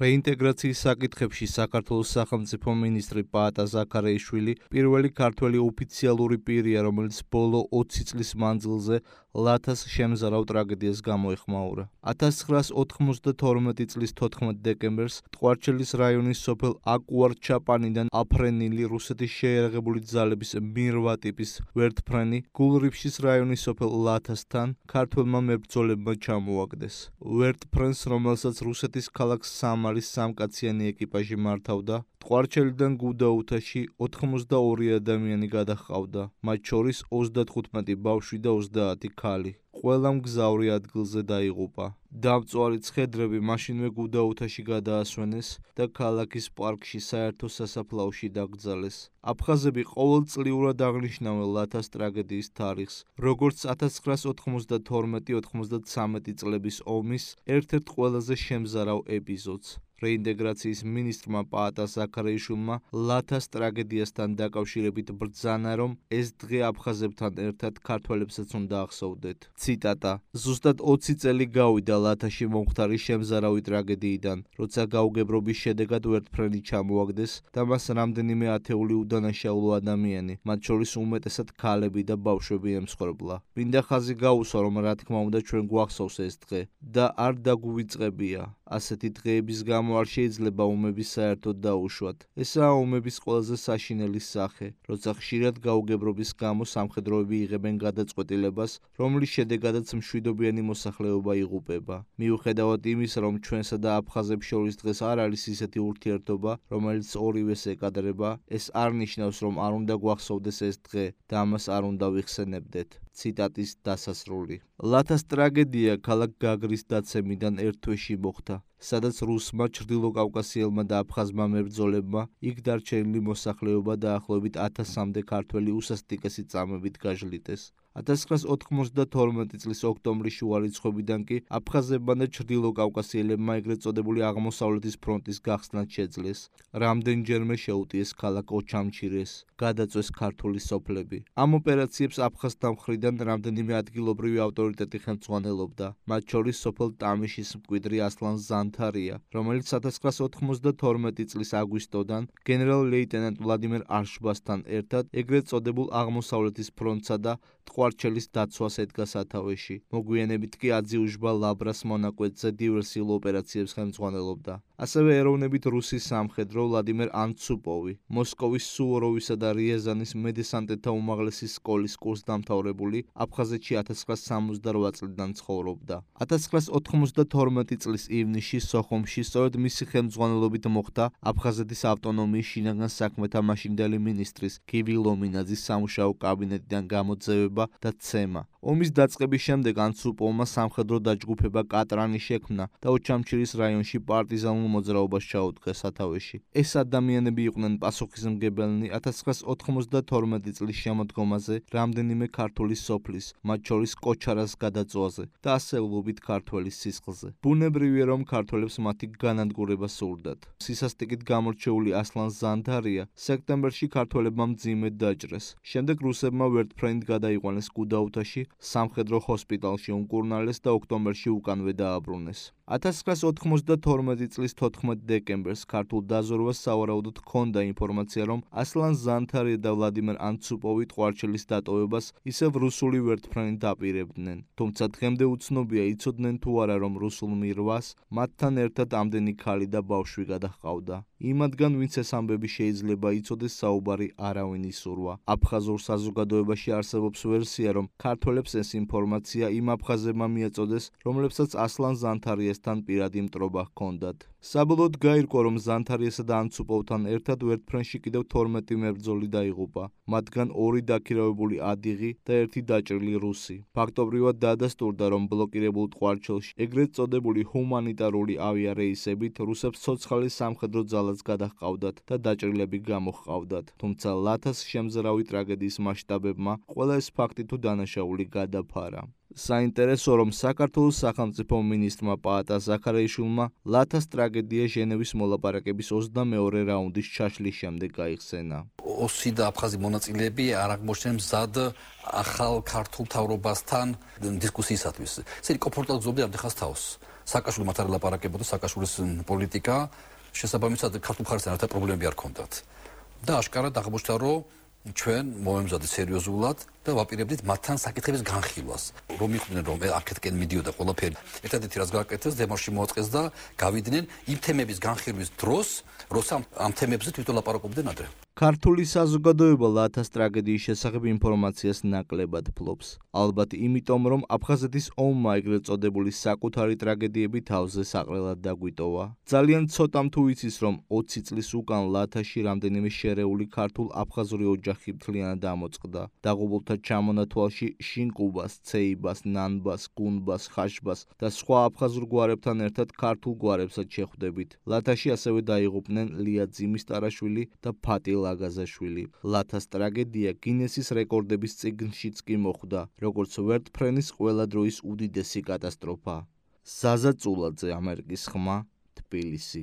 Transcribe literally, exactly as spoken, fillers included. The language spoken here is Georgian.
რეინტეგრაციის საკითხებში საქართველოს სახელმწიფო მინისტრი პაატა ზაქარიაშვილი პირველი ქართველი ოფიციალური პირია, რომელიც ბოლო ოცი წლის მანძილზე ლათას შემზარავ ტრაგედიას გამოეხმაურა. ათას ცხრაას ოთხმოცდათორმეტი წლის თოთხმეტ დეკემბერს ტყვარჩელის რაიონის სოფელ აკუარ-ჩაპანიდან აფრენილი რუსეთის შეიარაღებული ძალების მირვა ტიპის ვერტფრენი გულრიფშის რაიონის სოფელ ლათასთან ქართველმა მებრძოლებმა ჩამოაგდეს. ვერტფრენს, რომელსაც რუსეთის ქალაქ სამარის სამკაციანი ეკიპაჟი მართავდა, ტყვარჩელიდან გუდაუთაში ოთხმოცდაორი ადამიანი გადაჰყავდა, მათ შორის ოცდათხუთმეტი ბავშვი და ოცდაათი ქალი. ყველა მგზავრი ადგილზე დაიღუპა. დამწვარი ცხედრები მაშინვე გუდაუთაში გადაასვენეს და ქალაქის პარკში საერთო სასაფლაოში დაკრძალეს. აფხაზები ყოველწლიურად აღნიშნავენ ლათას ტრაგედიის თარიღს, როგორც ათას ცხრაას ოთხმოცდათორმეტი ოთხმოცდათვრამეტი წლების ომის ერთ-ერთ ყველაზე შემზარავ ეპიზოდს. რეინტეგრაციის მინისტრმა პაატა ზაქარიაშვილმა ლათას ტრაგედიასთან დაკავშირებით ბრძანა, რომ ეს დღე აფხაზებთან ერთად ქართველებსაც უნდა ახსოვდეთ. ციტატა: ზუსტად ოცი წელი გავიდა ლათაში მომხდარი შემზარავი ტრაგედიიდან, როცა გაუგებრობის შედეგად ვერტფრენი ჩამოაგდეს და მას რამდენიმე ათეული udანაშაულო ადამიანი, მათ შორის უმეტესად ქალები და ბავშვები ემსხვერპლა. მინდა ხაზი გაუსვა, რომ რა თქმა უნდა ჩვენ გვახსოვს ეს დღე და არ დაგვივიწყებია. ასეთი დღეების გამო არ შეიძლება ომების საერთოდ დაუშვათ. ესაა ომების ყველაზე საშინელი სახე, როცა ხშირად გაუგებრობის გამო სამხედროები იღებენ გადაწყვეტილებას, რომლის შედეგადაც მშვიდობიანი მოსახლეობა იღუპება. მიუხედავად იმისა, რომ ჩვენსა და აფხაზებს შორის დღეს არ არის ისეთი ურთიერთობა, რომელიც ორივეს ეკადრება, ეს არ ნიშნავს, რომ არ უნდა გვახსოვდეს ეს დღე და ამას არ უნდა ვიხსენებდეთ. ციტატის დასასრული. ლათას ტრაგედია ქალაქ გაგრის დაცემიდან ერთ თვეში მოხდა, სადაც რუსმა, ჩრდილოკავკასიელმა და აფხაზმა მებრძოლებმა იქ დარჩენილი მოსახლეობა დაახლოებით ათასამდე ქართველი უსასტიკესი წამებით გაჟლიტეს. ათას ცხრაას ოთხმოცდათორმეტი წლის ოქტომბრის შუა რიცხვებიდან კი აფხაზებმა და ჩრდილოკავკასიელებმა ეგრეთ წოდებული აღმოსავლეთის ფრონტის გახსნაც შეძლეს. რამდენჯერმე შეუტიეს ქალაქ ოჩამჩირეს, გადაწვეს ქართული სოფლები. ამ ოპერაციებს აფხაზთა მხრიდან რამდენიმე ადგილობრივი ავტორიტეტი ხელმძღვანელობდა, მათ შორის სოფელ ტამიშის მკვიდრი ასლან ზანთარია, რომელიც ათას ცხრაას ოთხმოცდათორმეტი წლის აგვისტოდან გენერალ-ლეიტენანტ ვლადიმერ არშბასთან ერთად ეგრეთ წოდებულ აღმოსავლეთის ფრონტსა და ტყვარჩელის დაცვას ედგა სათავეში. მოგვიანებით კი აძიუჟბა ლაბრას მონაკვეთზე დივერსიულ ოპერაციებს ხელმძღვანელობდა. ასევე ეროვნებით რუსი სამხედრო ვლადიმერ ანცუპოვი, მოსკოვის სუვოროვისა და რიაზანის მედესანტეთა უმაღლესი სკოლის კურსდამთავრებული, აფხაზეთში ათას ცხრაას სამოცდარვა წლიდან ცხოვრობდა. ათას ცხრაას ოთხმოცდათორმეტი წლის ივნისში სოხუმში სწორედ მისი ხელმძღვანელობით მოხდა აფხაზეთის ავტონომიის შინაგან საქმეთა მაშინდელი მინისტრის გივი ლომინაძის სამუშაო კაბინეტიდან გამოძევება და ცემა. ომის დაწყების შემდეგ ანცუპოვმა სამხედრო დაჯგუფება კატრანი შექმნა და ოჩამჩირის რაიონში პარტიზანულ მოძრაობას ჩაუდგა სათავეში. ეს ადამიანები იყვნენ პასუხისმგებელნი ათას ცხრაას ოთხმოცდათორმეტი წლის შემოდგომაზე რამდენიმე ქართული სოფლის, მათ შორის კოჩარას გადაწვაზე და ასეულობით ქართველის სისხლზე. ბუნებრივია, რომ ქართველებს მათი განადგურება სურდათ. სისასტიკით გამორჩეული ასლან ზანთარია სექტემბერში ქართველებმა მძიმედ დაჭრეს. შემდეგ რუსებმა ვერტფრენით გადაიყვანეს გუდაუთაში, სამხედრო ჰოსპიტალში უმკურნალეს და ოქტომბერში უკანვე დააბრუნეს. ათას ცხრაას ოთხმოცდათორმეტი წლის თოთხმეტ დეკემბერს ქართულ დაზვერვას სავარაუდოდ ჰქონდა ინფორმაცია, რომ ასლან ზანთარია და ვლადიმერ ანცუპოვი ტყვარჩელის დატოვებას ისევ რუსული ვერტფრენით დაპირებდნენ. თუმცა დღემდე უცნობია, იცოდნენ თუ არა, რომ რუსულ მირვას მათთან ერთად ამდენი ქალი და ბავშვი გადაჰყავდა. იმათგან, ვინც ეს ამბები შეიძლება იცოდეს, საუბარი არავინ ისურვა. აფხაზურ საზოგადოებაში არსებობს ვერსია, რომ ქართველებს ეს ინფორმაცია იმ აფხაზებმა მიაწოდეს, რომლებსაც ასლან ზანთარიასთან პირადი მტრობა ჰქონდათ. საბოლოოდ გაირკვა, რომ ზანთარიასა და ანცუპოვთან ერთად ვერტფრენში კიდევ თორმეტი მებრძოლი დაიღუპა, მათგან ორი დაქირავებული ადიღი და ერთი დაჭრილი რუსი. ფაქტობრივად დაადასტურდა, რომ ბლოკირებულ ტყვარჩელში ეგრეთ წოდებული ჰუმანიტარული ავიარეისებით რუსებს ცოცხალი სამხედრო ძალაც გადაჰყავდათ და დაჭრილები გამოჰყავდათ. თუმცა ლათას შემზარავი ტრაგედიის მასშტაბებმა ყველა ეს ფაქტი თუ დანაშაული გადაფარა. საინტერესოა, რომ საქართველოს სახელმწიფო მინისტრმა პაატა ზაქარიაშვილმა ლათას ტრაგედია ჟენევის მოლაპარაკების ოცდამეორე რაუნდის ჩაშლის შემდეგ გაიხსენა. ოსი და აფხაზი მონაწილეები არ აღმოჩნდნენ მზად ახალ ქართულ მთავრობასთან დისკუსიისათვის. ისინი კომფორტულად გზობდნენ ამ დღეს თავს. სააკაშვილი მათ არ ელაპარაკებოდა სააკაშვილის პოლიტიკა შესაბამისად ქართულ მხარესთან ერთად პრობლემები არ ჰქონდათ და აშკარად აღმოჩნდა რომ ჩვენ მომემზადეთ სერიოზულად და ვაპირებდით მათთან საკითხების განხილვას. რომ მიხვდნენ რომ აქეთკენ მიდიოდა ყველაფერი. ერთადერთი რაც გააკეთეს, დემარში მოაწყეს და გავიდნენ იმ თემების განხილვის დროს, როცა ამ თემებზე თვითონ ლაპარაკობდნენ ადრე. ქართული საზოგადოება ლათას ტრაგედიის შესახებ ინფორმაციას ნაკლებად ფლობს. ალბათ იმიტომ, რომ აფხაზეთის ომმა ეგრეთ წოდებული საკუთარი ტრაგედიები თავზე საყრელად დაგვიტოვა. ძალიან ცოტამ თუ იცის, რომ ოცი წლის უკან ლათაში რამდენიმე შერეული ქართულ-აფხაზური ოჯახი მთლიანად ამოწყდა. დაღუპულთა ჩამონათვალში შინკუბას, ცეიბას, ნანბას, გუნბას, ხაშბას და სხვა აფხაზურ გვარებთან ერთად ქართულ გვარებსაც შეხვდებით. ლათაში ასევე დაიღუპნენ ლია ძიმის-ტარაშვილი და ფატი ლაგაზაშვილი. ლათას ტრაგედია გინესის რეკორდების წიგნშიც კი მოხვდა, როგორც ვერტფრენის ყველა დროის უდიდესი კატასტროფა. ზაზა წულაძე, ამერიკის ხმა, თბილისი.